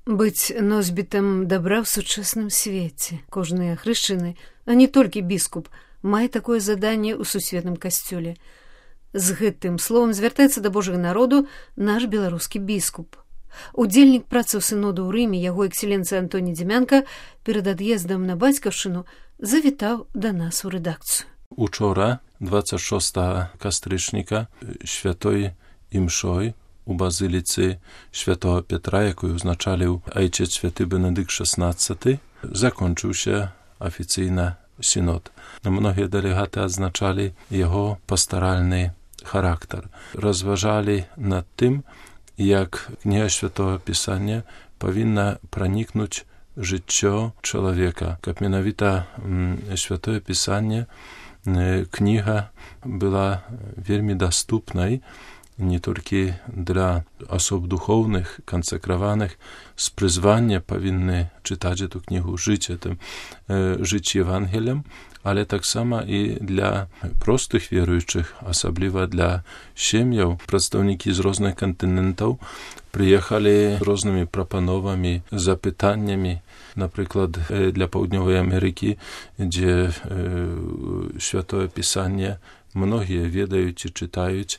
Быць носьбітам дабра ў сучасным свеце. Кожны хрышчаны, а не толькі біскуп, мае такое заданне ў сусветным касцёле. З гэтым словам звяртаецца да Божага народу наш беларускі біскуп. Удзельнік працы ў сыноду ў Рыме, яго экселенцыя Антоні Дзімянка, перад ад'ездам на бацькаўшчыну завітаў да нас у рэдакцыю. Учора, 26 кастрычніка, святой імшой у базыліцы святого Петра, якую узначаліў айчец святы Бенедыкт XVI, закончыўся афіцыйна сінод. Многія дэлегаты адзначалі яго пастаральны характар. Разважалі над тым, як кніга святого Пісання павінна пранікнуць жыццё чалавека, каб менавіта святое Пісанне, кніга была вельмі даступнай не толькі для асоб духоўных, кансакраваных, з прызвання павінны чытаць эту кнігу, жыць Евангелем, але таксама і для простых веруючых, асабліва для сем'яў. Прадстаўнікі з розных кантынентаў прыехалі з рознымі прапановамі, запытаннямі, напрыклад, для Паўднёвай Амерыкі, дзе святое Пісанне многія ведаюць і чытаюць.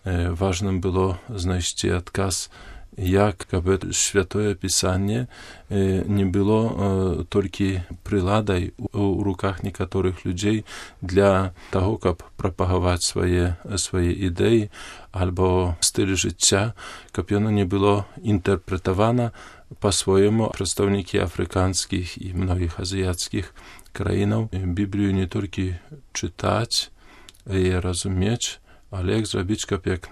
Важным было знайсці адказ, як каб святое Пісанне не было толькі прыладай у руках некаторых людзей для таго, каб прапагаваць свае ідэі альбо стыль жыцця, каб яно не было інтэрпрэтавана па-свойму. Прадстаўнікі афрыканскіх і многіх азіяцкіх краінаў Біблію не толькі чытаць і разумець, але як зрабіць, каб як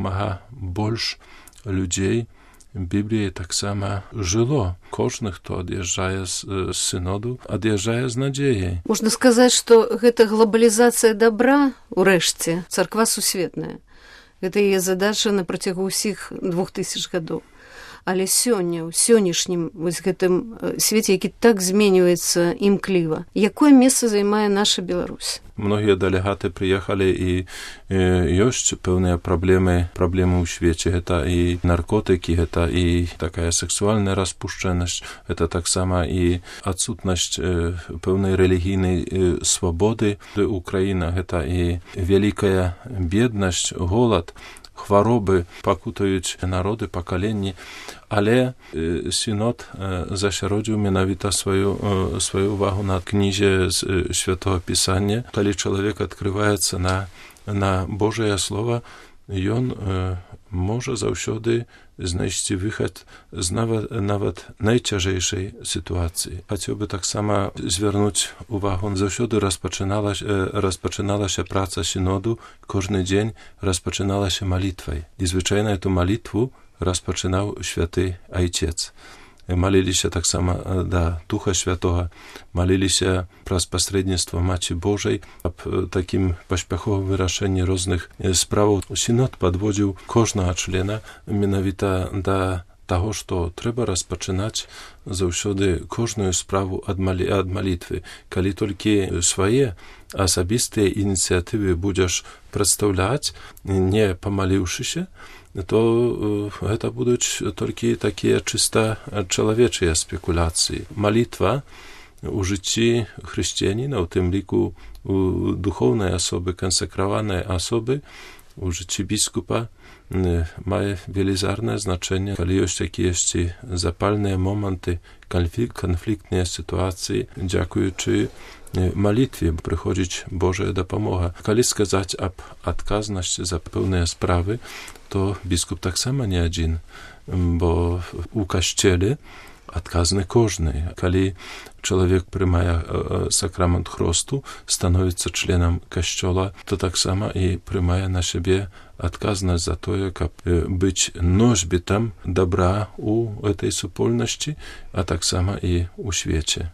мага больш людзей Бібліі таксама жыло. Кожны, хто ад'язджае з сыноду, ад'язджае з надзеяй. Можна сказаць, што гэта глобалізацыя дабра, урэшце, царква сусветная. Гэта яе задача на працягу ўсіх 2000 гадоў. Але сёння, у сённяшнім вось гэтым свеце, які так зменьваецца імкліва, якое месца займае наша Беларусь? Многія дэлегаты прыехалі і ёсць пэўныя праблемы ў свеце. Гэта і наркотыкі, гэта і такая сексуальная распушчэнасць, гэта таксама і адсутнасць пэўнай рэлігійнай свабоды ў краінах, гэта і вялікая беднасць, голад, хваробы пакутаюць народы, пакаленні, але сінод засяродзіў менавіта сваю увагу на кнізе з святого Пісання. Калі чалавек адкрываецца на Божае Слова, ён можа заўсёды знайсці выхад з нават найцяжэйшай сітуацыі. Хацеў бы таксама звярнуць увагу. Заўсёды распачыналася праца сіноду, кожны дзень распачыналася малітвай. І звычайна эту малітву распачынаў святы айцец. Маліліся таксама да Духа Святога, маліліся праз пасрэдніцтва Маці Божай аб такім паспяховым вырашэнні розных справаў. Сінод падводзіў кожнага члена менавіта да таго, што трэба распачынаць заўсёды кожную справу ад малітвы. Калі толькі свае асабістыя ініцыятывы будзеш прадстаўляць, не памаліўшыся, то гэта будуць толькі такія чыста чалавечыя спекуляцыі. Малітва у жыцці хрысціяніна, у тым ліку у духоўнай асобы, кансакраванай асобы, у жыцці біскупа мае велізарнае значэнне. Калі ёсць якіясьці запальныя моманты, канфліктныя сітуацыі, дзякуючы малітве прыходзіць Божая дапамога. Калі сказаць аб адказнасці за пэўныя справы, то біскуп таксама не адзін, бо у касцеле адказны кожны. Калі чалавек прымае сакрамент хросту, становіцца членам касцёла, то таксама і прымае на сябе адказнасць за тое, каб быць носьбітам дабра у этой супольнасці, а таксама і ў свеце.